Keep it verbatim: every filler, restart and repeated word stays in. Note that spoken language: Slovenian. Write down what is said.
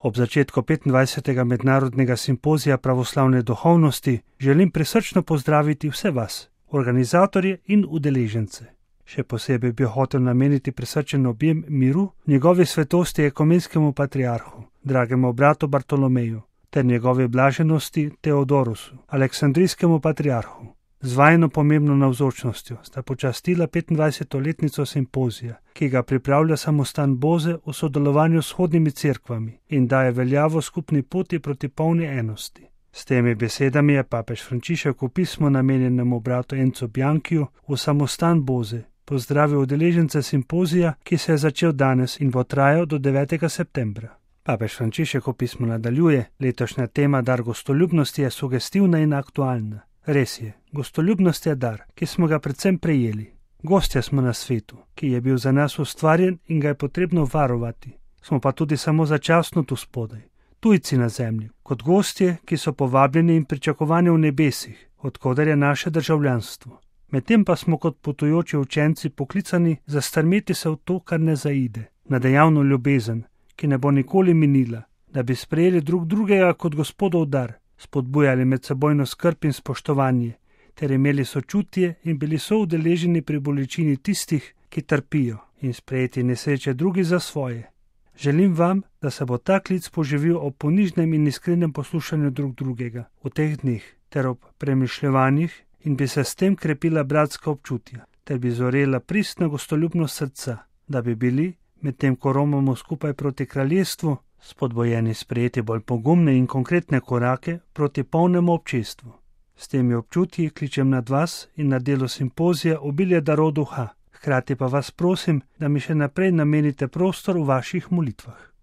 Ob začetku petindvajsetega mednarodnega simpozija pravoslavne duhovnosti želim prisrčno pozdraviti vse vas, organizatorje in udeležence. Še posebej bi hotel nameniti prisrčen objem miru njegovi svetosti ekumenskemu patriarhu, dragemu bratu Bartolomeju, ter njegovi blaženosti Teodorusu, aleksandrijskemu patriarhu. Z vajino pomembno navzočnostjo sta počastila petindvajseto letnico simpozija, ki ga pripravlja samostan Boze v sodelovanju s vzhodnimi cerkvami in daje veljavo skupni poti proti polni enosti. S temi besedami je papež Frančišek v pismu namenjenemu bratu Encu Bianchiju v samostan Boze pozdravil udeležence simpozija, ki se je začel danes in bo trajal do devetega septembra. Papež Frančišek v pismu nadaljuje: letošnja tema dar gostoljubnosti je sugestivna in aktualna. Res je, gostoljubnost je dar, ki smo ga predvsem prejeli. Gostje smo na svetu, ki je bil za nas ustvarjen in ga je potrebno varovati. Smo pa tudi samo začasno tu spodaj, tujci na zemlji, kot gostje, ki so povabljeni in pričakovani v nebesih, odkoder je naše državljanstvo. Medtem pa smo kot potujoči učenci poklicani zastrmeti se v to, kar ne zaide, na dejavno ljubezen, ki ne bo nikoli minila, da bi sprejeli drug drugega kot Gospodov dar, spodbujali medsebojno skrb in spoštovanje, ter imeli sočutje in bili soudeleženi pri bolečini tistih, ki trpijo, in sprejeti nesreče drugi za svoje. Želim vam, da se bo ta klic poživil ob ponižnem in iskrenem poslušanju drug drugega v teh dneh, ter ob premišljevanjih, in bi se s tem krepila bratska občutja, ter bi zorela pristna gostoljubnost srca, da bi bili, medtem ko romamo skupaj proti kraljestvu, spodbojeni sprejeti bolj pogumne in konkretne korake proti polnemu občestvu. S temi občutji kličem nad vas in na delo simpozija obilje darov duha, hkrati pa vas prosim, da mi še naprej namenite prostor v vaših molitvah.